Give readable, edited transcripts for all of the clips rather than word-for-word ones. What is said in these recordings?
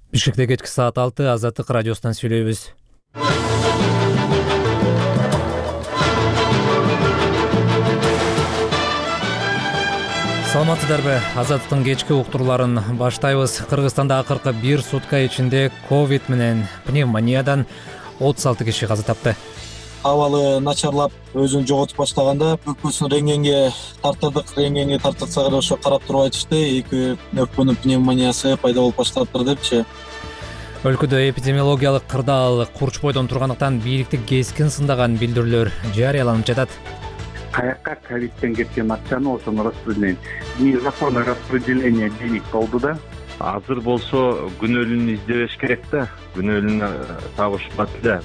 Бишкекте кечки саат 6 Азаттык радиосунан сүйлөйбүз. Саламатсыздарбы? Азаттыктын кечки уктурууларын баштайбыз. Кыргызстанда акыркы бир сутка ичинде ковид менен пневмониядан 36 киши каза тапты. Абалы начарлап өзүн жоготуп баштаганда өкпөсүн рентгенге тартырсак эле ошо карап туруп айтышты, эки өкпөнүн пневмониясы пайда болуп баштаптыр депчи. Өлкөдө эпидемиологиялык кырдаал курч бойдон тургандыктан бийликти кескин сындаган билдирүүлөр жарыяланып жатат. Каякка ковидтен кеткен акчаны ошону распределение, незаконное распределение денег болду да. Азыр болсо күнөөлүүнү издебеш керек да, күнөөлүүнү табышпат эле.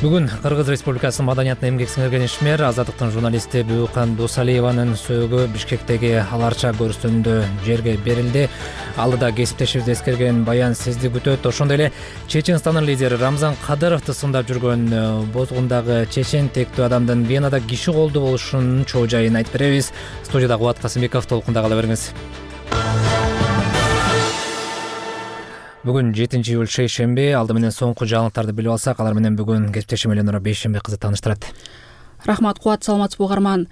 Бүгүн Кыргыз Республикасынын маданиятына эмгек сиңирген ишмер Азаттыктын журналисти Бүүкан Дусалиеванын сөөгү Бишкектеги аларча көрүстөрүндө жерге берилди. Алыда кесиптешибизди эскерген баян сизди күтөт. Ошондой эле Чеченстандын лидери Рамзан Кадыровду сындап жүргөн бозгундагы чечен тектүү адамдын Венада киши колдуу болушунун чоо жайын айтып беребиз. Студияда Кубат Касымбеков, толкунда кала бериңиз. Бүгүн 7-июль шейшемби. Алды менен соңку жаңылыктарды билип алсак, алар менен бүгүн кесиптешим Эленора Бейшембек кызы тааныштырат. Рахмат, Кубат, саламатсызбы угарман.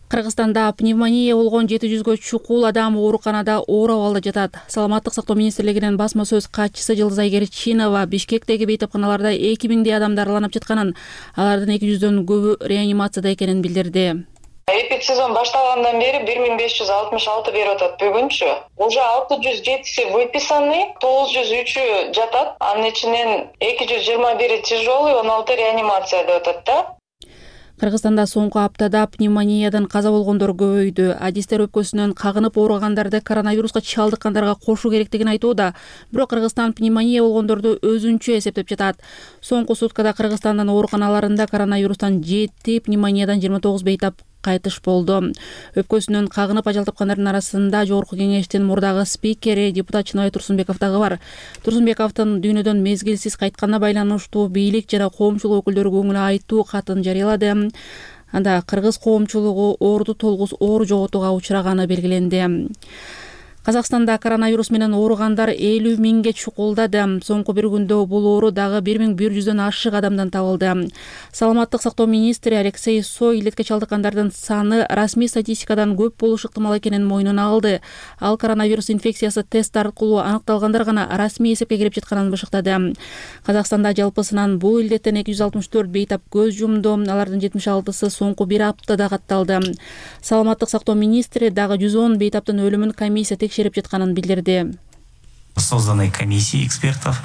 Кыргызстанда пневмония болгон 700гө чукул адам ооруканада оор абалда жатат. Саламаттык сактоо министрлигинин басма сөз катчысы Жылдыз Айгерчинова Бишкектеги бейтапканаларда 2000 адам дарыланып жатканын, алардын 200дөн көбү реанимацияда экенин билдирди. Эпидсезон башталгандан бери 1566 берип атат. Бүгүнчү уже 607 выписаны, 903 жатат. Анын ичинен 221 тяжелый, 16 реанимацияда атат да. Кыргызстанда соңку аптада пневмониядан каза болгондор көбөйдү. Адистер өпкөсүнөн кагынып ооругандарды коронавируска чалдыккандарга кошуу керектигин айтууда. Бирок Кыргызстан пневмония болгондорду өзүнчө эсептеп жатат. Соңку суткада Кыргызстандын ооруканаларында коронавирустан 7, пневмониядан 29 бейтап кайтыш болду. Өпкөсүнөн кагынып ажал тапкандардын арасында Жогорку кеңештин мурдагы спикери депутат Чыныбай Турсунбеков дагы бар. Турсунбековдун дүйнөдөн мезгилсиз кайтканына байланыштуу бийлик жана коомчулук өкүлдөрү көңүл айтуу катын жарыялады. Анда кыргыз коомчулугу оорду толгус оор жоготууга учураганы белгиленди. Казакстанда коронавирус менен ооругандар 50 миңге чукулдады. Соңку бир күндө бул оору дагы 1100дөн ашык адамдан табылды. Саламаттык сактоо министри Алексей Сой илетке чалдыккандардын саны расмий статистикадан көп болушу ыктымал экенин мойнуна алды. Ал коронавирус инфекциясы тест аркылуу аныкталгандар гана расмий эсепке кирип жатканын башыктады. Казакстанда жалпысынан бул илдеттен 264 бейтап көз жумду. Алардын 76-сы соңку бир аптада катталды. Саламаттык сактоо министри дагы 110 бейтаптын өлүмүн комиссия текшерип жатканын билдирди. Созданы комиссии экспертов,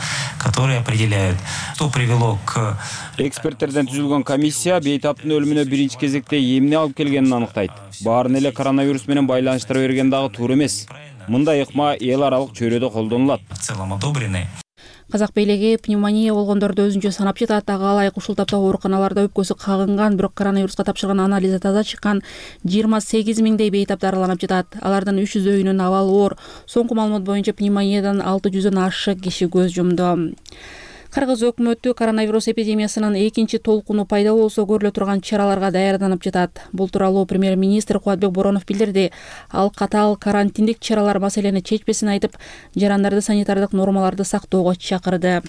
которые определяют, что привело к... Эксперттерден түзүлгөн комиссия бейтаптын өлүмүнө биринчи кезекте эмне алып келгенин аныктайт. Баарын эле коронавирус менен байланыштыра берген дагы туура эмес. Мындай ыкма эл аралык чөйрөдө колдонулат. В целом одобрены. Казак бийлиги пневмония болгондорду өзүнчө санап жатат. Ага ылайык ушул тапта ооруканаларда өпкөсү кагынган, бирок коронавируска тапшырган анализы таза чыккан 28 миңдей бейтап дарыланып жатат. Алардын 300өйүнүн абалы оор. Соңку маалымат боюнча пневмониядан 600дөн ашык киши көз жумду. Кыргыз өкмөтү коронавирус эпидемиясынын экинчи толкуну пайда болсо көрүлө турган чараларга даярданып жатат. Бул тууралуу премьер-министр Кубатбек Боронов билдирди. Ал катаал карантиндик чаралар маселени чечпесин айтып, жарандарды санитардык нормаларды сактоого чакырды.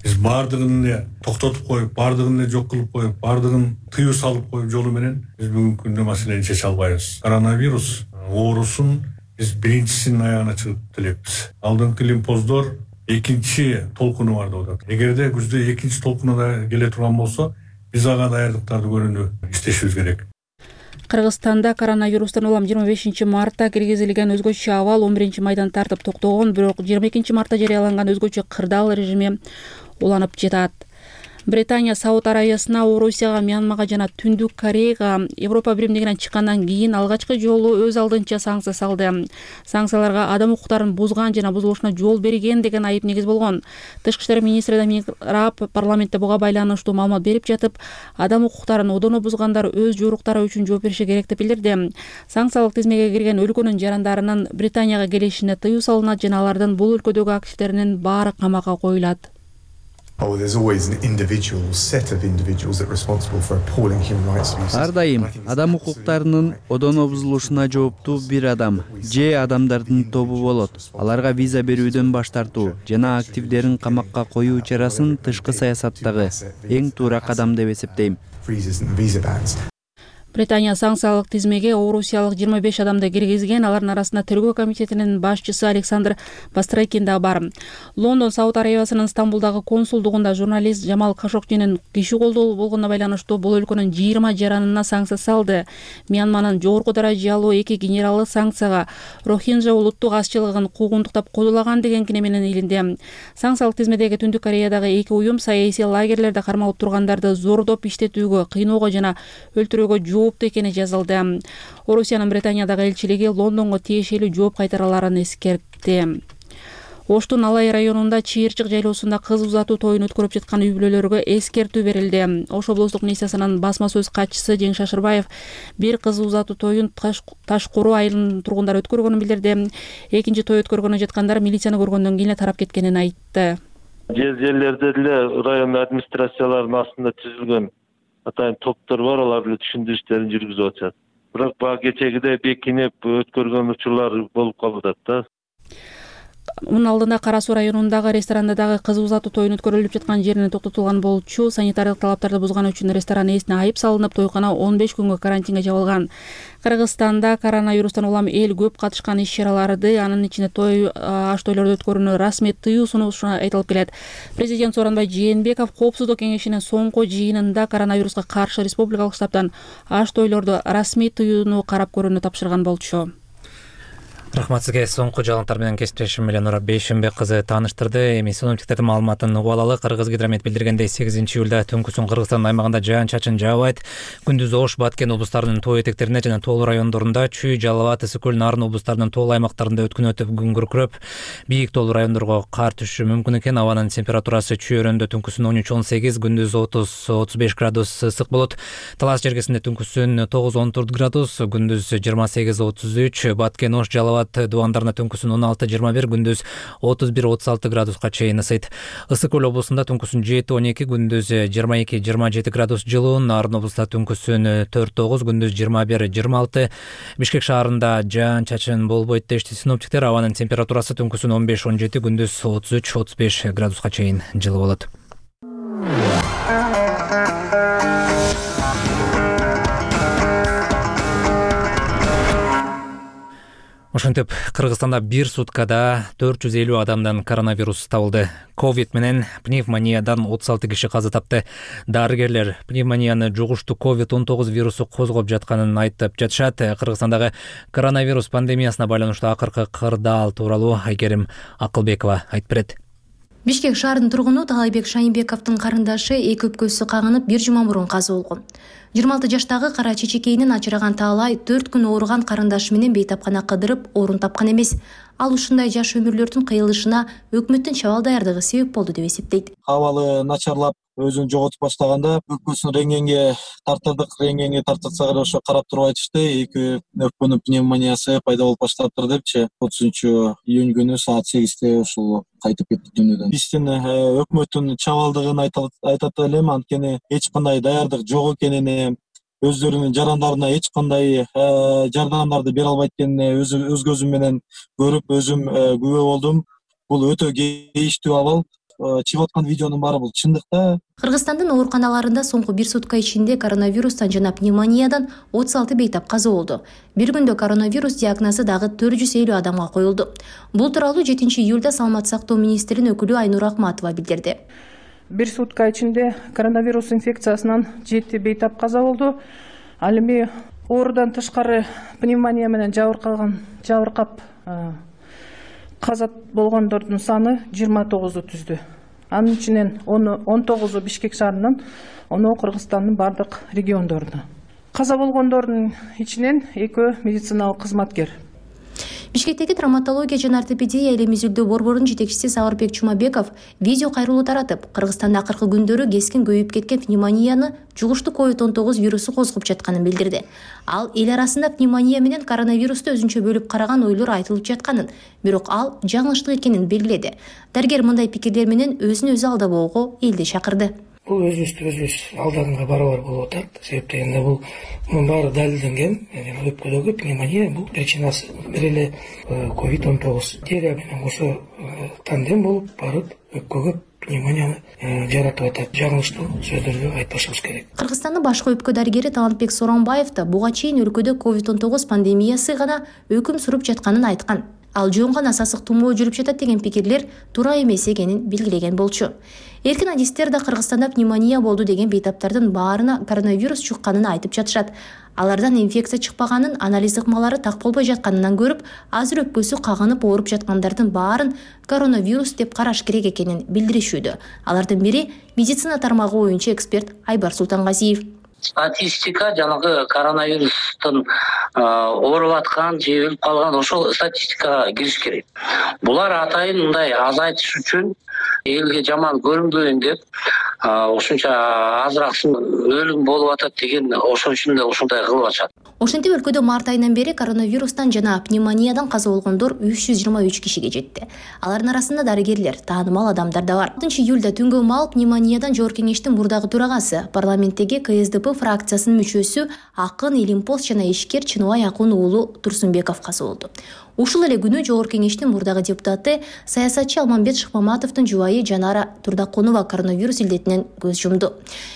Биз баардыгын эле токтотуп коюп, баардыгын эле жок кылып коюп, баардыгын тыюу салып коюп жолу менен биз бүгүнкү күндө маселени чече албайбыз. Коронавирус оорусун биз биринчисинин аягына чыгып делебиз. Алдыңкы лимфоздор экинчи толкуну бар деп атат. Эгерде күздө экинчи толкуну да келе турган болсо, биз ага даярдыктарды көрүүнү иштешибиз керек. Кыргызстанда коронавирустан улам 25 мартта киргизилген өзгөчө абал 11 майдан тартып токтогон, бирок 22 мартта жарыяланган өзгөчө кырдаал режими уланып жатат. Британия Сауд Арабиясына, Орусияга, Мьянмага жана Түндүк Кореяга Европа биримдигинен чыккандан кийин алгачкы жолу өз алдынча санкция салды. Санкцияларга адам укуктарын бузган жана бузулушуна жол берген деген айып негиз болгон. Тышкы иштер министри Дамир Раб парламентте буга байланыштуу маалымат берип жатып, адам укуктарын одоно бузгандар өз жоруктары үчүн жооп бериши керек деп билдирди. Санкциялык тизмеге кирген өлкөнүн жарандарынын Британияга келишине тыюу салынат жана алардын бул өлкөдөгү активдеринин баары камакка коюлат. Ар дайым адам укуктарынын одоно бузулушуна жооптуу бир адам же адамдардын тобу болот. Аларга виза берүүдөн баш тартуу жана активдерин камакка коюу чарасын тышкы саясаттагы эң туура кадам деп эсептейм. Британия санкциялык тизмеге орусиялык 25 адамды киргизген. Алардын арасында тергөө комитетинин башчысы Александр Бастрыкин да бар. Лондон Сауд Арабиясынын Стамбулдагы консулдугунда журналист Жамал Кашокчинин киши колдоо болгонуна байланыштуу бул өлкөнүн 20 жаранына санкция салды. Мьянманын жогорку даражалуу 2 генералы санкцияга Рохинджа улуттук азчылыгын куугунтуктап кодулаган деген кине менен илинди. Санкциялык тизмедеги Түндүк Кореядагы 2 уюм саясий лагерлерде кармалып тургандарды зордоп иштетүүгө, кыйноого жана өлтүрүүгө жооптуу экени жазылды. Орусиянын Британиядагы элчилиги Лондонго тиешелүү жооп кайтараларын эскертти. Оштун Алай районунда Чыйырчык жайлоосунда кыз узатуу тоюн өткөрүп жаткан үй бүлөлөргө эскертүү берилди. Ош облустук милициясынын басма сөз катчысы Жеңиш Шашырбаев бир кыз узатуу тоюн Ташкуруу айылынын тургундары өткөргөнүн билдирди. Экинчи той өткөргөнү жаткандар милицияны көргөндөн кийин тарап кеткенин айтты. Жерлерде деле район администрацияларынын астында түзүлгөн атайын топтор бар, алар эле түшүндүрүү иштерин жүргүзүп атышат. Бирок бага кечегиде бекинип өткөргөн учурлар болуп калып атат да. Мунун алдында Кара Суу районундагы ресторанда дагы кыз узатуу тоюн өткөрүлүп жаткан жерине токтотулган болчу. Санитардык талаптарды бузганы үчүн ресторан ээсине айып салынып, тойкана 15 күнгө карантинге жабылган. Кыргызстанда коронавирустан улам эл көп катышкан иш-чараларды, анын ичинде той аш тойлорду өткөрүүнү расмий тыюу сунушу айтылып келет. Президент Сооронбай Жээнбеков Коопсуздук кеңешинин соңку жыйынында коронавируска каршы республикалык штабтан аш тойлорду расмий тыюуну карап көрүүнү тапшырган болчу. Рахмат сизге. Соңку жаңылыктар менен кесиптешим Эленора Бейшенбек кызы тааныштырды. Эми синоптиктердин маалыматын угуп алалы. Кыргызгидромет билдиргендей 8 июлда түнкүсүн Кыргызстан аймагында жаан-чачын жаабайт. Күндүз Ош, Баткен облустарынын тоо этектерине жана тоолуу райондорунда, Чүй, Жалал Абад, Ысык Көл, Нарын облустарынын тоолуу аймактарында өткүн өтүп күн күркүрөп, бийик тоолуу райондорго кар түшүшү мүмкүн экен. Абанын температурасы Чүй өрөөндө түнкүсүн 13-18, күндүз 30-35 градус ысык болот. Талас жергесинде түнкүсүн 9-14 градус, күндүз 28-33, Баткен, Ош, Жалал Дубандарына түнкүсүн 16-21, күндүз 31-36 градуска чейин ысыйт. Ысык Көл облусунда түнкүсүн 7-12, күндүз 22-27 градус жылуу. Нарын облусунда түнкүсүн 4-9, күндүз 21-26. Бишкек шаарында жаан-чачын болбойт дешти синоптиктер. Абанын температурасы түнкүсүн 15-17, күндүз 33-35 градуска чейин жылуу болот. Ошентип, Кыргызстанда бир суткада 450 адамдан коронавирус табылды. Ковид менен пневмониядан 36 киши каза тапты. Дарыгерлер пневмонияны жугуштуу COVID-19 вирусу козгоп жатканын айтып жатышат. Кыргызстандагы коронавирус пандемиясына байланыштуу акыркы кырдаал тууралуу Айкерим Акылбекова айтып берет. Бишкек шаарынын тургуну Таалайбек Шайынбековдун карындаш эки өпкөсү кагынып 1 жума мурун каза болгон. 26 жаштагы кара чечекейинин ачыраган Таалай 4 күн ооруган карындашы менен бейтапкана кыдырып орун тапкан эмес. Ал ушундай жаш өмүрлөрдүн кыйылышына өкмөттүн чабал даярдыгы себеп болду деп эсептейт. Абалы начарлап өзүн жоготуп баштаганда өпкөсүн рентгенге тартырдык. Рентгенге тартырсак эле ошо карап туруп айтышты, эки өпкөнүн пневмониясы пайда болуп баштаптыр депчи. 30-июнь күнү саат 8-те ушул кайтып кетти дүйнөдөн. Биздин өкмөттүн чабалдыгын айтат элем, анткени эч кандай даярдык жок экенин, өздөрүнүн жарандарына эч кандай жардамдарды бере албайт экенин өз көзүм менен көрүп, өзүм күбө болдум. Бул өтө кейиштүү абал. Чыгып аткан видеонун баары бул чындыкта. Кыргызстандын ооруканаларында соңку бир сутка ичинде коронавирустан жана пневмониядан 36 бейтап каза болду. Бир күндө коронавирус диагнозу дагы 450 адамга коюлду. Бул тууралуу 7 июлда Саламаттык сактоо министринин өкүлү Айнур Акматова билдирди. Бир сутка ичинде коронавирус инфекциясынан 7 бейтап каза болду. Ал эми оорудан тышкары пневмония менен жабыркап каза болгондордун саны 29 түздү. Анын ичинен 19 Бишкек шаарынан, 10 Кыргызстандын бардык региондорунда. Каза болгондордун ичинен 2 медициналык кызматкер. Бишкектеги травматология жана ортопедия элем изилдөө борборунун жетекчиси Сабырбек Чумабеков видео кайрылуу таратып, Кыргызстанда акыркы күндөрү кескин көбөйүп кеткен пневмонияны жугуштуу COVID-19 вирусу козгоп жатканын билдирди. Ал эл арасында пневмония менен коронавирусту өзүнчө бөлүп караган ойлор айтылып жатканын, бирок ал жаңылыштык экенин белгиледи. Дарыгер мындай пикирлер менен өзүн өзү алдабоого элди чакырды. Бул өзүбүз алдынгы барабар болуп атат. Себеп дегенде мунун баары далилденген. Өпкөдөгү пневмония бул причинасы бир эле COVID-19 диария менен кошо тандем болуп барып өпкөгө пневмонияны жаратып атат. Жаңылыштуу сөздөрдү айтпашыбыз керек. Кыргызстандын башкы өпкө дарыгери Талантбек Соронбаев да буга чейин өлкөдө COVID-19 пандемиясы гана өкүм сүрүп жатканын айткан. Ал жөн гана сасык тумоо жүрүп жатат деген пикирлер туура эмес экенин белгилеген болчу. Эркин адистер да Кыргызстанда пневмония болду деген бейтаптардын баарына коронавирус чыкканын айтып жатышат. Алардан инфекция чыкпаганын, анализ ыкмалары так болбой жатканынан көрүп, азыр өпкөсү кагынып ооруп жаткандардын баарын коронавирус деп караш керек экенин билдиришүүдө. Алардын бири медицина тармагы боюнча эксперт Айбар Султангазиев. Статистика жанагы коронавирустун ооруп аткан же өлүп калган ошол статистикага кириш керек. Булар атайын мындай азайтыш үчүн элге жаман көрүнбөйүн деп ошончо азыраак өлүм болуп атат деген ошон үчүн да ушундай кылып атышат. Ошентип өлкөдө март айынан бери коронавирустан жана пневмониядан каза болгондор 323 кишиге жетти. Алардын арасында дарыгерлер, таанымал адамдар да бар. 4 июлда түнгө маал пневмониядан Жогорку кеңештин мурдагы төрагасы, парламенттеги КСДП фракциясынын мүчөсү Акын Илимпос жана ишкер Чыныбай Акун уулу Турсунбеков каза болду. Ушул эле күнү Жогорку кеңештин мурдагы депутаты саясатчы Алмамбет Шыкмаматовдун жубайы Жанара Турдакунова коронавирус илдетинен көз жумду.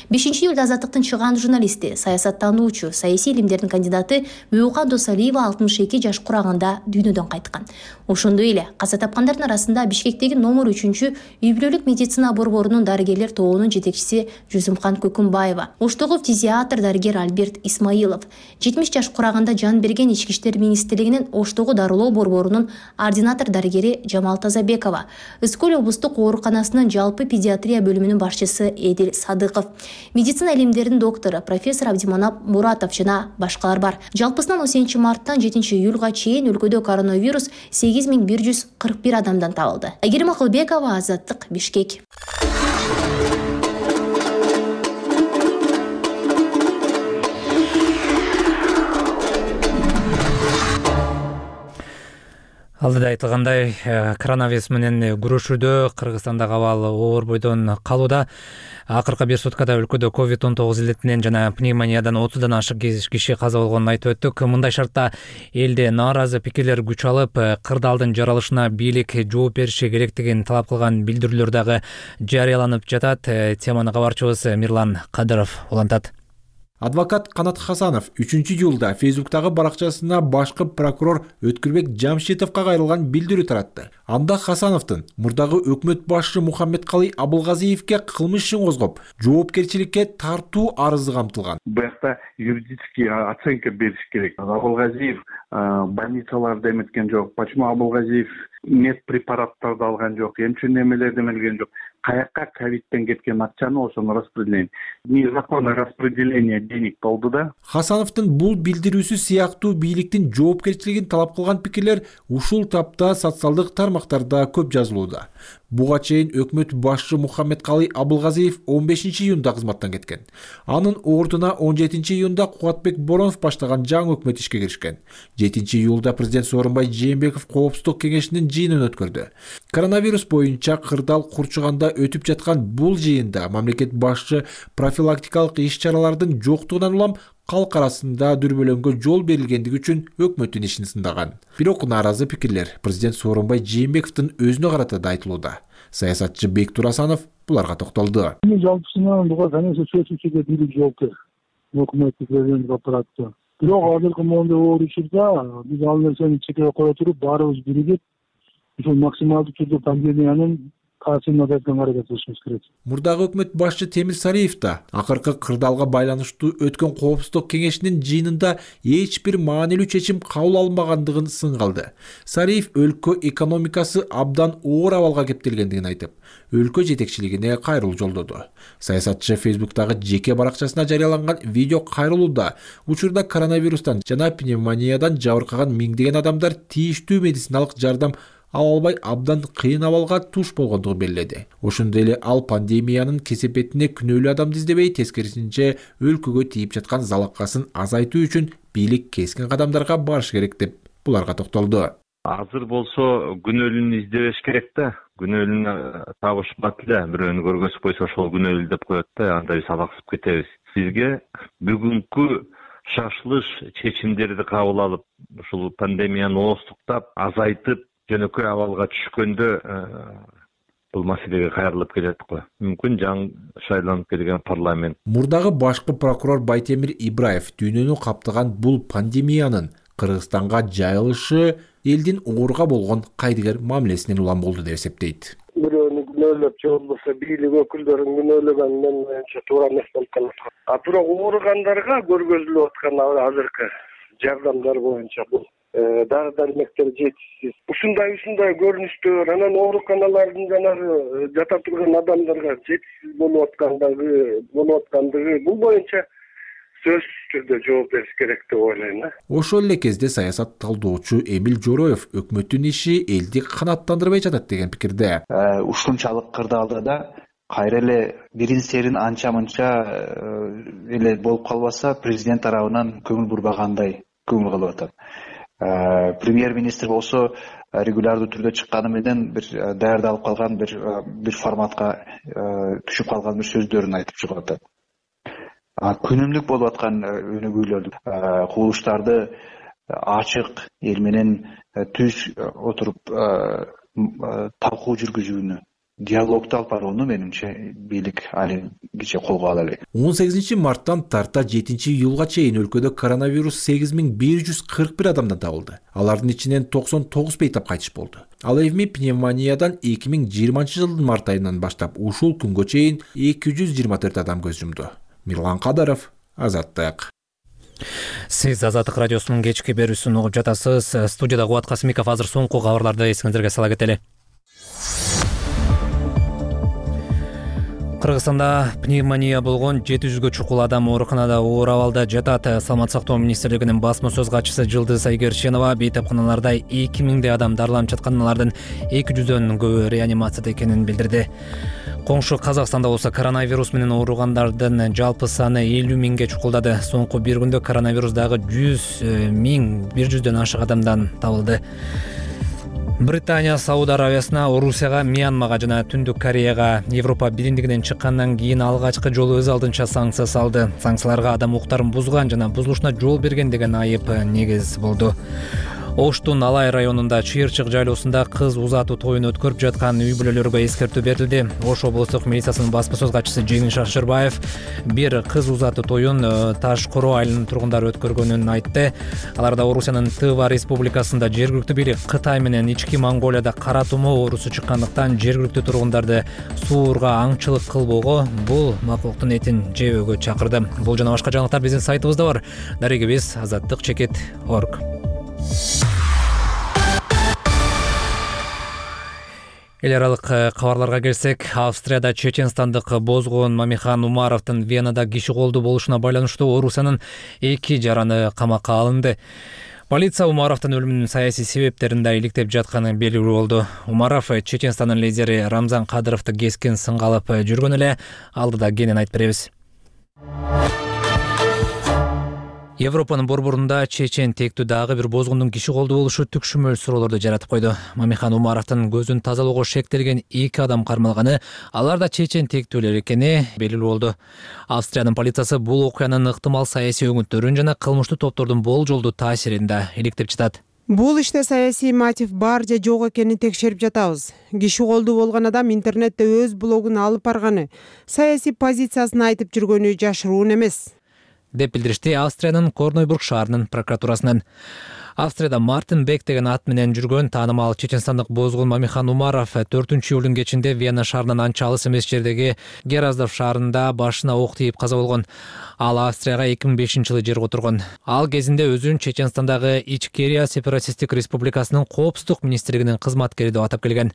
5 июлда Азаттыктын чыгаан журналисти, саясаттануучу, саясий илимдердин кандидаты Бүйөкан Досалиева 62 жаш курагында дүйнөдөн кайткан. Ошондой эле каза тапкандардын арасында Бишкектеги номер 3 үй бүлөлүк медицина борборунун дарыгерлер тобунун жетекчиси Жүзүмкан Көкүмбаева, Оштогу фтизиатр дарыгер Альберт Исмаилов, 70 жаш курагында жан берген Ички иштер министрлигинин Оштогу дарылоо борборунун ординатор дарыгери Жамал Тазабекова, Ыскөл облустук ооруканасынын жалпы педиатрия бөлүмүнүн башчысы Эдил Садыков, медицина илимдеринин доктору профессор Абдиманап Муратов жана башкалар бар. Жалпысынан 10 марттан 7 июлга чейин өлкөдө коронавирус 8141 адамдан табылды. Айгерим Акылбекова, Азаттык, Бишкек. Алдыда айтылгандай, коронавирус менен күрөшүүдө Кыргызстандагы абал оор бойдон калууда. Акыркы бир суткада өлкөдө COVID-19 илдетинен жана пневмониядан 30дан ашык киши каза болгонун айтып өттүк. Мындай шартта элде нааразы пикирлер күч алып, кырдаалдын жаралышына бийлик жооп бериши керектигин талап кылган билдирүүлөр дагы жарыяланып жатат. Теманы кабарчыбыз Мирлан Кадыров улантат. Адвокат Канат Хасанов 3 июлда Фейсбуктагы баракчасына башкы прокурор Өткүрбек Жамшитовго кайрылган билдирүү таратты. Анда Хасановдун мурдагы өкмөт башчы Мухаммедкалый Абылгазиевге кылмыш ишин козгоп, жоопкерчиликке тартуу арызы камтылган. Буякта юридический оценка бериш керек. Абылгазиев больницаларда эметкен жок. Почему Абылгазиев медпрепараттарды алган жок, эмче немелерди эмелген жок. Каякка ковидтен кеткен акчаны ошону распределение. Незаконное распределение денег болду да. Хасановдун бул билдирүүсү сыяктуу бийликтин жоопкерчилигин талап кылган пикирлер ушул тапта социалдык тармактарда көп жазылууда. Буга чейин өкмөт башчы Мухаммедкалый Абылгазиев 15 июнда кызматтан кеткен. Анын ордуна 17 июнда Кубатбек Боронов баштаган жаңы өкмөт ишке киришкен. 7 июлда президент Сооронбай Жээнбеков Коопсуздук кеңешинин жыйынын өткөрдү. Коронавирус боюнча кырдаал курчуганда өтүп жаткан бул жыйында мамлекет башчы профилактикалык иш-чаралардын жоктугунан улам калк арасында дүрбөлөңгө жол берилгендиги үчүн өкмөттүн ишин сындаган. Бирок нааразы пикирлер президент Сооронбай Жээнбековдун өзүнө карата да айтылууда. Саясатчы Бектур Асанов буларга токтолду. Жалпысынан буга конечно чечүүчүгө бийлик жоопкер. Өкмөттүк президент аппараты. Бирок азыркы моундай оор учурда биз ал нерсени чекеге кое туруп баарыбыз биригип ушул максималдуу түрдө пандемиянын качууну берген аракет кылышыбыз керек. Мурдагы өкмөт башчы Темир Сариев да акыркы кырдаалга байланыштуу өткөн коопсуздук кеңешинин жыйынында эч бир маанилүү чечим кабыл алынбагандыгын сынгалды. Сариев өлкө экономикасы абдан оор абалга кептелгендигин айтып, өлкө жетекчилигине кайрылуу жолдоду. Саясатчы Фейсбуктагы жеке баракчасына жарыяланган видео кайрылууда учурда коронавирустан жана пневмониядан жабыркаган миңдеген адамдар тийиштүү медициналык жардам ала албай абдан кыйын абалга туш болгондугун белгиледи. Ошондой эле ал пандемиянын кесепетине күнөөлүү адамды издебей, тескерисинче өлкөгө тийип жаткан залакасын азайтуу үчүн бийлик кескин кадамдарга барыш керек деп буларга токтолду. Азыр болсо күнөөлүүнү издебеш керек да. Күнөөлүүнү табышпат эле. Бирөөнү көргөзүп койсо ошол күнөөлүү деп коет да, анда биз алаксып кетебиз. Бизге бүгүнкү шашылыш чечимдерди кабыл алып, ушул пандемияны ооздуктап, азайтып, жөнөкөй абалга түшкөндө бул маселеге кайрылып келет го. Мүмкүн жаңы шайланып келген парламент. Мурдагы башкы прокурор Байтемир Ибраев дүйнөнү каптаган бул пандемиянын Кыргызстанга жайылышы элдин ооруга болгон кайдыгер мамилесинен улам болду деп эсептейт. Бирөөнү күнөөлөп же болбосо бийлик өкүлдөрүн күнөөлөгөн менин оюмча туура эмес болуп калат. Бирок ооругандарга көргөзүлүп аткан азыркы жардамдар боюнча бул дары-дармектер жетишсиз. Ушундай көрүнүштөр анан ооруканалардын жанагы жата турган адамдарга жетишсиз болуп аткандыгы бул боюнча сөзсүз түрдө жооп бериш керек деп ойлойм. Ошол эле кезде саясат талдоочу Эмил Жороев өкмөттүн иши элди канааттандырбай жатат деген пикирде. Ушунчалык кырдаалда да кайра эле бирин серин анча мынча эле болуп калбаса, президент тарабынан көңүл бурбагандай көңүл калып атат. Премьер-министр болсо регулярдуу түрдө чыкканы менен бир даярдалып калган бир форматка түшүп калган бир сөздөрүн айтып чыгып атат. Күнүмдүк болуп аткан өнүгүүлөрдү, кубулуштарды ачык эл менен түз отуруп талкуу жүргүзүүнү, диалогду алып барууну менимче бийлик али киче колго ала элек. 18 марттан тарта 7 июлга чейин өлкөдө коронавирус 8141 адамдан табылды. Алардын ичинен 99 бейтап кайтыш болду. Ал эми пневмониядан 2020 жылдын март айынан баштап ушул күнгө чейин 224 адам көз жумду. Мирлан Кадаров, Азаттык. Сиз Азаттык радиосунун кечки берүүсүн угуп жатасыз. Студияда Кубат Касымиков. Азыр соңку кабарларды эсиңиздерге сала кетели. Кыргызстанда пневмония болгон 700гө чукул адам ооруканада оор абалда жатат. Саламаттык сактоо министрлигинин басма сөз катчысы Жылдыз Айгерченова бейтапканаларда 2000 адам дарыланып жаткан, алардын 200дөн көбү реанимацияда экенин билдирди. Коңшу Казакстанда болсо коронавирус менен ооругандардын жалпы саны 50 миңге чукулдады. Соңку бир күндө коронавирус дагы 100.100дөн ашык адамдан табылды. Британия Сауд Арабиясына, Орусияга, Мьянмага жана Түндүк Кореяга Европа биримдигинен чыккандан кийин алгачкы жолу өз алдынча санкция салды. Санкцияларга адам укуктарын бузган жана бузулушуна жол берген деген айып негиз болду. Оштун Алай районунда Чыйырчык жайлоосунда кыз узатуу тоюн өткөрүп жаткан үй бүлөлөргө эскертүү берилди. Ош облустук милициясынын басма сөз катчысы Жеңил Шашырбаев бир кыз узатуу тоюн Таш Короо айылынын тургундары өткөргөнүн айтты. Аларда Орусиянын Тыва республикасында жергиликтүү бийлик Кытай менен Ички Монголияда кара тумоо оорусу чыккандыктан жергиликтүү тургундарды сууурга аңчылык кылбоого, бул макулуктун этин жебөөгө чакырды. Бул жана башка жаңылыктар биздин сайтыбызда бар. Дарегибиз azattik.org. Эл аралык кабарларга келсек, Австрияда чеченстандык Бозгон Мамихан Умаровдун Венада киши колдуу болушуна байланыштуу Орусиянын 2 жараны камакка алынды. Полиция Умаровдун өлүмүнүн саясий себептерин да иликтеп жатканы белгилүү болду. Умаров Чеченстандын лидери Рамзан Кадыровду кескин сынга алып жүргөн эле, алдыда кенен айтып беребиз. Европанын борборунда чечен тектүү дагы бир бозгундун киши колдуу болушу түкшүмөл суроолорду жаратып койду. Мамихан Умаровдун көзүн тазалоого шектелген 2 адам кармалганы, алар да чечен тектүүлөр экени белгилүү болду. Австриянын полициясы бул окуянын ыктымал саясий өңүттөрүн жана кылмыштуу топтордун болжолдуу таасирин да иликтеп жатат. Бул иште саясий мотив бар же жок экенин текшерип жатабыз. Киши колдуу болгон адам интернетте өз блогун алып барганы, саясий позициясын айтып жүргөнү жашыруун эмес. деп билдиришти Австриянын Корнойбург шаарынын прокуратурасынан. Австрияда Мартин Бек деген ат менен жүргөн таанымал чеченстандык бозгун Мамихан Умаров 4-июлдун кечинде Вена шаарынан анча алыс эмес жердеги Гераздов шаарында башына ок тийип каза болгон. Ал Австрияга 2005-жылы жерге отургон. Ал кезинде өзүн Чеченстандагы Ичкерия сепаратисттик республикасынын коопсуздук министрлигинин кызматкери деп атап келген.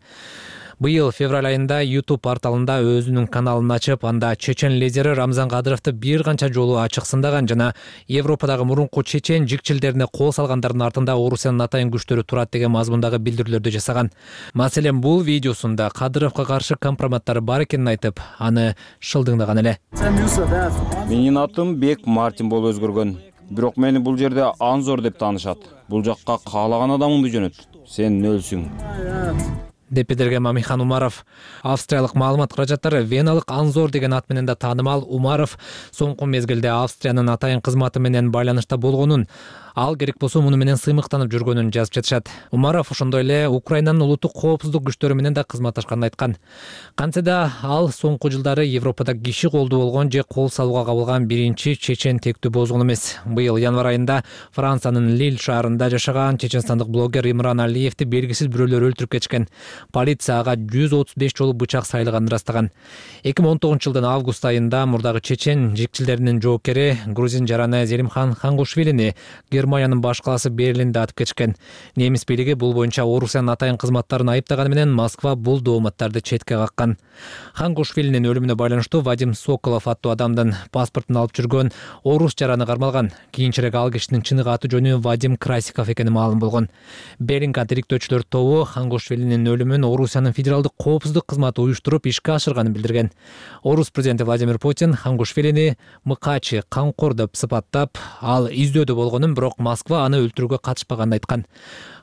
Быйыл февраль айында YouTube порталында өзүнүн каналын ачып, анда чечен лидери Рамзан Кадыровду бир канча жолу ачык сындаган жана Европадагы мурунку чечен жикчилдерине кол салгандардын артында Орусиянын атайын күчтөрү турат деген мазмундагы билдирүүлөрдү жасаган. Маселен, бул видеосунда Кадыровго каршы компроматтары бар экенин айтып, аны шылдыңдаган эле. Менин атым Бек Мартин болуп өзгөргөн. Бирок мени бул жерде Анзор деп таанышат. Бул жакка каалаган адамыңды жөнөт. Сен нөлсүң. Деп билдирген Мамихан Умаров. Австриялык маалымат каражаттары Веналык Анзор деген ат менен да таанымал Умаров соңку мезгилде Австриянын атайын кызматы менен байланышта болгонун, ал керек болсо муну менен сыймыктанып жүргөнүн жазып жатышат. Умаров ошондой эле Украинанын улуттук коопсуздук күчтөрү менен да кызматташканын айткан. Кантсе да ал соңку жылдары Европада киши колду болгон же кол салууга кабылган биринчи чечен тектүү бозгун эмес. Быйыл январь айында Франциянын Лиль шаарында жашаган чеченстандык блогер Имран Алиевди белгисиз бирөөлөр өлтүрүп кетишкен. Полиция ага 135 жолу бычак сайлаганын ырастаган. 2019-жылдын август айында мурдагы чечен жикчилдеринин жоокери грузин жараны Зелимхан Хангушвилини Германиянын баш калаасы Берлинде атып кетишкен. Немис бийлиги бул боюнча Орусиянын атайын кызматтарын айыптаганы менен Москва бул дооматтарды четке каккан. Хангушвилинин өлүмүнө байланыштуу Вадим Соколов аттуу адамдын паспортун алып жүргөн орус жараны кармалган. Кийинчерээк ал кишинин чыныгы аты жөнү Вадим Красиков экени маалым болгон. Беринка тириктөөчүлөр тобу Хангушвилинин өлүмүн Орусиянын федералдык коопсуздук кызматы уюштуруп ишке ашырганын билдирген. Орус президенти Владимир Путин Хангушвилини мыкачы, камкор деп сыпаттап, ал издөөдө болгонун, бирок Москва аны өлтүрүүгө катышпаганын айткан.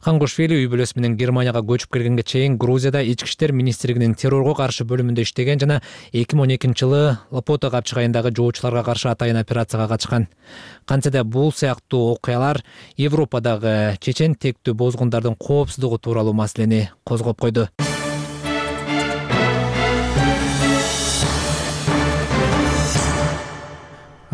Хангушвили үй бүлөсү менен Германияга көчүп келгенге чейин Грузияда ички иштер министрлигинин террорго каршы бөлүмүндө иштеген жана 2012-жылы Лопото капчыгайындагы жоочуларга каршы атайын операцияга катышкан. Кантсе да бул сыяктуу окуялар Европадагы чечен тектүү бозгундардын коопсуздугу тууралуу маселени козгоп койду.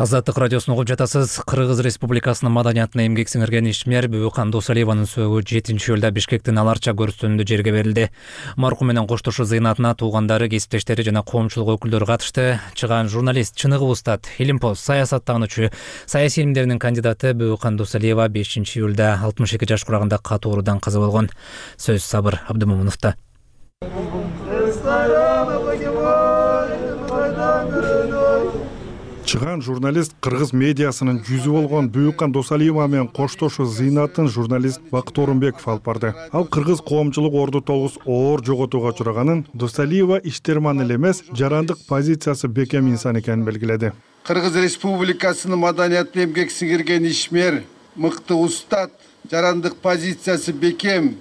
Азаттык радиосун угуп жатасыз. Кыргыз Республикасынын маданиятына эмгек сиңирген ишмер Бүйөкан Досалиеванын сөөгү 7-июлда Бишкектин Аларча көрүстүнүндө жерге берилди. Маркум менен коштошуу зыйнатына туугандары, кесиптештери жана коомчулук өкүлдөрү катышты. Чыгаан журналист, чыныгы устат, илимпоз, саясаттануучу, саясий илимдеринин кандидаты Бүйөкан Досалиева 5-июлда 62 жаш курагында катуу оорудан каза болгон. Сөз Сабыр Абдымомуновдо. Чыган журналист кыргыз медиасынын жүзү болгон Бүйөкан Досалиева менен коштошуу зыйнатын журналист Бакыт Орунбеков алып барды. Ал кыргыз коомчулук орду тогуз оор жоготууга учураганын, Досалиева иштерман эле эмес, жарандык позициясы бекем инсан экенин белгиледи. Кыргыз Республикасынын маданиятына эмгек сиңирген ишмер, мыкты устат, жарандык позициясы бекем,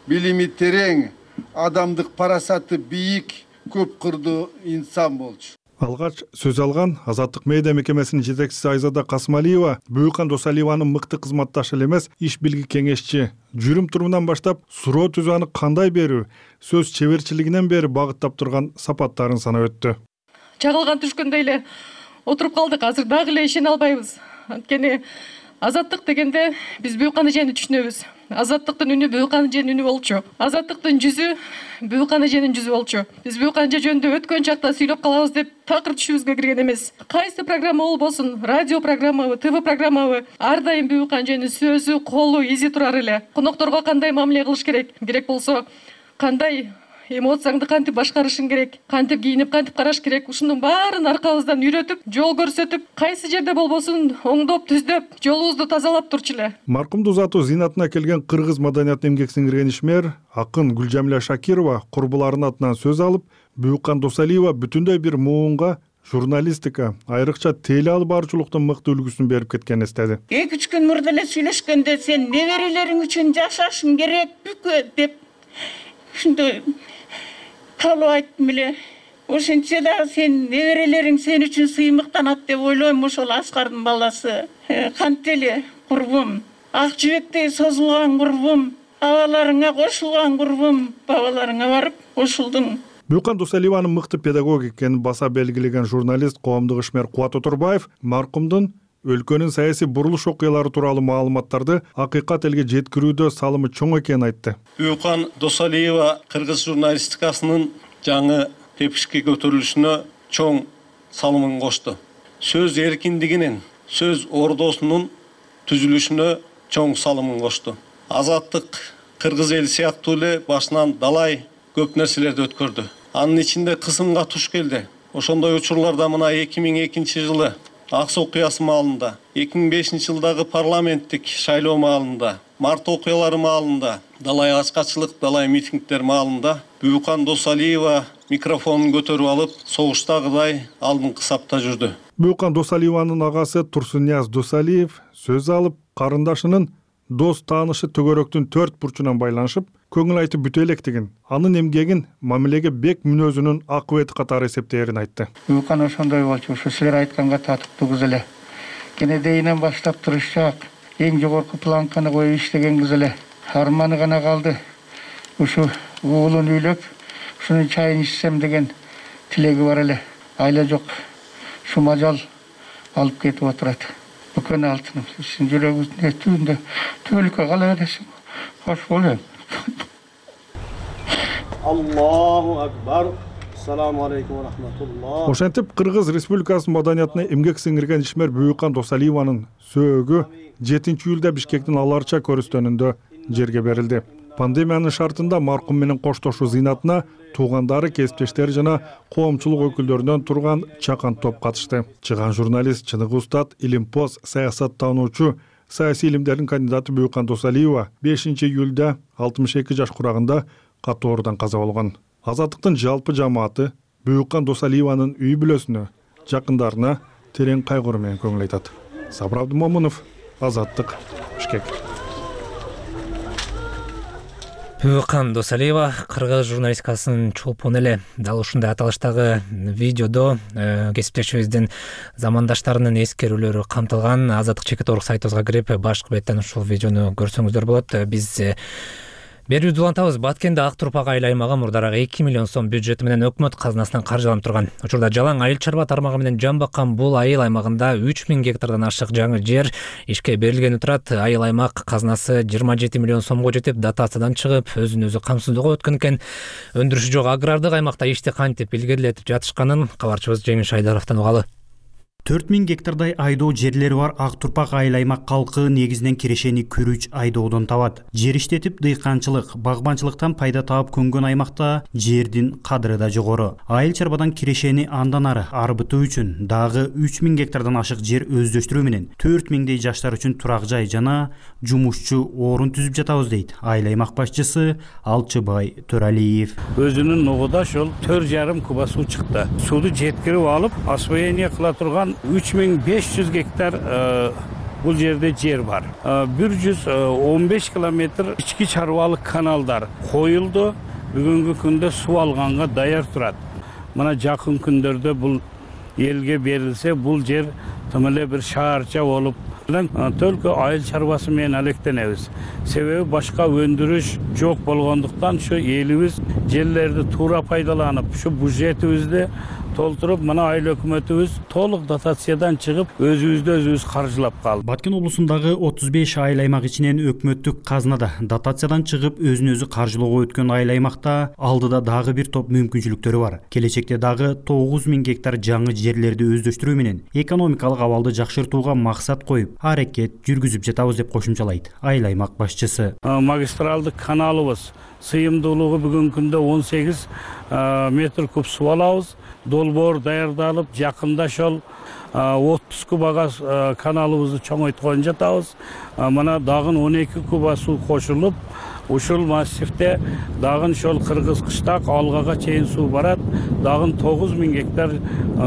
билими терең, адамдык парасаты бийик, көп кырдуу инсан болчу. Алгач сөз алган Азаттык медиа мекемесинин жетекчиси Айзада Касмалиева Бүйөкан Досалиеванын мыкты кызматташы эле эмес, иш билги кеңешчи, жүрүм турумунан баштап суроо түзүү, аны кандай берүү, сөз чеберчилигинен бери багыттап турган сапаттарын санап өттү. Чагылган түшкөндөй эле отуруп калдык, азыр дагы эле ишене албайбыз. Анткени азаттык дегенде биз Бүйөкан эжени түшүнөбүз. Азаттыктын үнү Бүйөкан эженин үнү болчу. Азаттыктын жүзү Бүйөкан эженин жүзү болчу. Биз Бүйөкан эже жөнүндө өткөн чакта сүйлөп калабыз деп такыр түшүбүзгө кирген эмес. Кайсы программа болбосун, радио программабы, ТВ программабы, ар дайым Бүйөкан эженин сөзү, колу, изи турар эле. Конокторго кандай мамиле кылыш керек, керек болсо кандай эмоцияңды кантип башкарышың керек, кантип кийинип, кантип караш керек, ушунун баарын аркабыздан үйрөтүп, жол көрсөтүп, кайсы жерде болбосун оңдоп, түздөп, жолубузду тазалап турчу эле. Маркумду узатуу зыйнатына келген кыргыз маданиятына эмгек сиңирген ишмер, акын Гүлжамиля Шакирова курбуларынын атынан сөз алып, Бүйөкан Досалиева бүтүндөй бир муунга, журналистика, айрыкча теле алып баруучулуктун мыкты үлгүсүн берип кеткенин эстеди. 2-3 күн мурда эле сүйлөшкөндө сен неберелериң үчүн жашашың керек бүкө деп ушундай калып айттым эле. Ошентсе да сен неберелериң сен үчүн сыймыктанат деп ойлойм. Ошол Аскардын баласы. Кантеле курбум, ак жибектей созулган курбум, абаларыңа кошулган курбум, бабаларыңа барып кошулдуң. Бүйөкан Досалиеванын мыкты педагог экенин баса белгилеген журналист, коомдук ишмер Кубат Отурбаев маркумдун өлкөнүн саясий бурулуш окуялары тууралуу маалыматтарды акыйкат элге жеткирүүдө салымы чоң экенин айтты. Бүйүкан Досалиева кыргыз журналистикасынын жаңы тепкичке көтөрүлүшүнө чоң салымын кошту. Сөз эркиндигинин, сөз ордосунун түзүлүшүнө чоң салымын кошту. Азаттык кыргыз эл сыяктуу эле башынан далай көп нерселерди өткөрдү. Анын ичинде кысымга туш келди. Ошондой учурларда мына 2002 жылы Акс окуясы маалында, 2005 жылдагы парламенттик шайлоо маалында, март окуялары маалында, далай ачкачылык, далай митингдер маалында Бүйүкан Досалиева микрофонун көтөрүп алып, согуштагыдай алдыңкы сапта жүрдү. Бүйүкан Досалиеванын агасы Турсунияз Досалиев сөз алып, карындашынын дос таанышы төгөрөктүн 4 бурчунан байланышып, көңүл айтып бүтө электигин, анын эмгегин мамилеге бек мүнөзүнүн акыбети катары эсептээрин айтты. Бүйүкан ошондой болчу, ушу силер айтканга татыктуу кыз эле. Кенедейинен баштап тырышчаак, эң жогорку планканы коюп иштеген кыз эле. Арманы гана калды. Ушу уулун үйлөп, ушунун чайын ичсем деген тилеги бар эле. Айла жок. Шумажал алып кетип отурат. Бүкөн алтыным, сиздин жүрөгүңүздүн түбүндө түбөлүккө кала бересиң. Кош болом. Аллаху акбар. Ассаламу алейкум ва рахматуллах. Ошентип Кыргыз Республикасынын маданиятына эмгек сиңирген ишмер Бүйүкан Досалиеванын сөөгү 7-июлда Бишкектин Аларча көрүстөнүндө жерге берилди. Пандемиянын шартында маркум менен коштошуу зыйнатына туугандары, кесиптештери жана коомчулук өкүлдөрүнөн турган чакан топ катышты. Чыган журналист, чыныгы устат, илимпоз, саясаттануучу, саясий илимдердин кандидаты Бүйүкан Досалиева 5-июлда 62 жаш курагында катоорудан каза болгон. Азаттыктын жалпы жамааты Бүйүкан Досалиеванын үй бүлөсүнө, жакындарына терең кайгыруу менен көңүл айтат. Сабыр Абдымомунов, Азаттык, Бишкек. Бүйүкан Досалиева кыргыз журналистикасынын чолпону эле. Дал ушундай аталыштагы видеодо кесиптешибиздин замандаштарынын эскерүүлөрү камтылган. Азаттык чекит.org сайтыбызга кирип, башкы беттен ушул видеону көрсөңүздөр болот. Биз берүүбүздү улантабыз. Баткенде Ак Турпак айыл аймагы мурдараак 2 миллион сом бюджети менен өкмөт казынасынан каржыланып турган. Учурда жалаң айыл чарба тармагы менен жан баккан бул айыл аймагында 3000 гектардан ашык жаңы жер ишке берилгени турат. Айыл аймак казынасы 27 миллион сомго жетип, дотациядан чыгып, өзүн өзү камсыздоого өткөн экен. Өндүрүшү жок агрардык аймакта ишти кантип илгерилетип жатышканын кабарчыбыз Жеңиш Айдаровдон угалы. 4000 гектардай айдоо жерлери бар Ак Турпак айыл аймак калкы негизинен кирешени күрүч айдоодон табат. Жер иштетип дыйканчылык, багбанчылыктан пайда таап көнгөн аймакта жердин кадыры да жогору. Айыл чарбадан кирешени андан ары арбытуу үчүн дагы 3000 гектардан ашык жер өздөштүрүү менен 4000дей жаштар үчүн турак жай жана жумушчу орун түзүп жатабыз дейт айыл аймак башчысы Алчыбай Төралиев. Өзүнүн ногуда ошол 4,5 куба суу чыкты. Сууду жеткирип алып, освоение кыла турган 3500 гектар бул жерде жер бар. 115 километр ички чарбалык каналдар коюлду. Бүгүнкү күндө суу алганга даяр турат. Мына жакын күндөрдө бул элге берилсе, бул жер тым эле бир шаарча болуп төлкө айыл чарбасы менен алектенебиз. Себеби башка өндүрүш жок болгондуктан ушу элибиз жерлерди туура пайдаланып, ушу бюджетибизди толтуруп, мына айыл өкмөтүбүз толук дотациядан чыгып, өзүбүздү өзүбүз каржылап калды. Баткен облусундагы 35 айыл аймак ичинен өкмөттүк казынада дотациядан чыгып, өзүн өзү каржылоого өткөн айыл аймакта алдыда дагы бир топ мүмкүнчүлүктөрү бар. Келечекте дагы 9000 гектар жаңы жерлерди өздөштүрүү менен экономикалык абалды жакшыртууга максат коюп, аракет жүргүзүп жатабыз деп кошумчалайт айыл аймак башчысы. Магистралдык каналыбыз сыйымдуулугу бүгүнкү күндө 18 метр куб суу алабыз. Долбоор даярдалып, жакында ошол 30 кубага каналыбызды чоңойткон жатабыз. Мына дагы 12 куба суу кошулуп, ушул массивде дагы ошол Кыргыз Кыштак Алгага чейин суу барат. Дагы 9000 гектар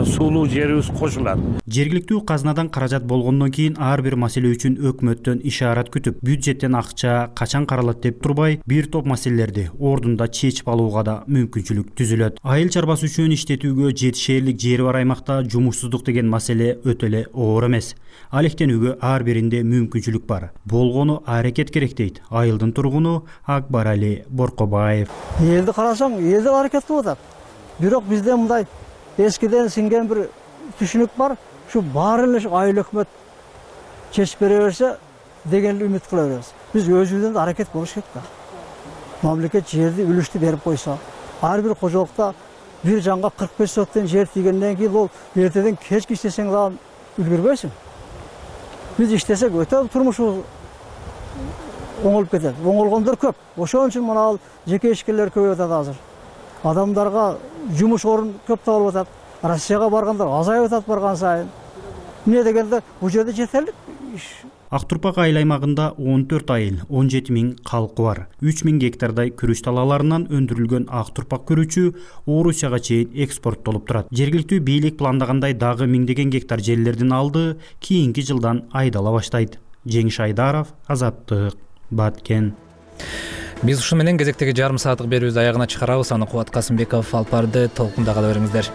суулуу жерибиз кошулат. Жергиликтүү казынадан каражат болгондон кийин ар бир маселе үчүн өкмөттөн ишарат күтүп, бюджеттен акча качан каралат деп турбай, бир топ маселелерди ордунда чечип алууга да мүмкүнчүлүк түзүлөт. Айыл чарбасы үчүн иштетүүгө жетишээрлик жери бар аймакта жумушсуздук деген маселе өтө эле оор эмес. Алектенүүгө ар биринде мүмкүнчүлүк бар. Болгону аракет керек дейт айылдын тургуну Акбарали Боркобаев. Элди карасаң, эл аракет кылып атат. Бирок бизде мындай эскиден сиңген бир түшүнүк бар. Ушу баарын эле айыл өкмөт чечип бере берсе деген үмүт кыла беребиз. Биз өзүбүздөн да аракет болуш керек да. Мамлекет жерди үлүштү берип койсо, ар бир кожолукта бир жанга 45 соттон жер тийгенден кийин ол эртеден кечке иштесең дагы үлгүрбөйсүң. Биз иштесек өтө турмушубуз оңолуп кетет. Оңолгондор көп. Ошон үчүн мына жеке ишкерлер көбөйүп атат азыр. Адамдарга жумуш орун көп табылып атат. Россияга баргандар азайып атат барган сайын. Эмне дегенде бул жерде жетерлик иш. Ак Турпак айыл аймагында 14 айыл, 17 000 калкы бар. 3 000 гектардай күрүч талааларынан өндүрүлгөн ак турпак күрүчү Орусияга чейин экспорттолуп турат. Жергиликтүү бийлик пландагандай дагы миңдеген гектар жерлердин алды кийинки жылдан айдала баштайт. Жеңиш Айдаров, Азаттык, Баткен. Биз ушу менен кезектеги жарым сааттык берүүбүздү аягына чыгарабыз. Аны Кубат Касымбеков алып барды. Толкунда кала бериңиздер.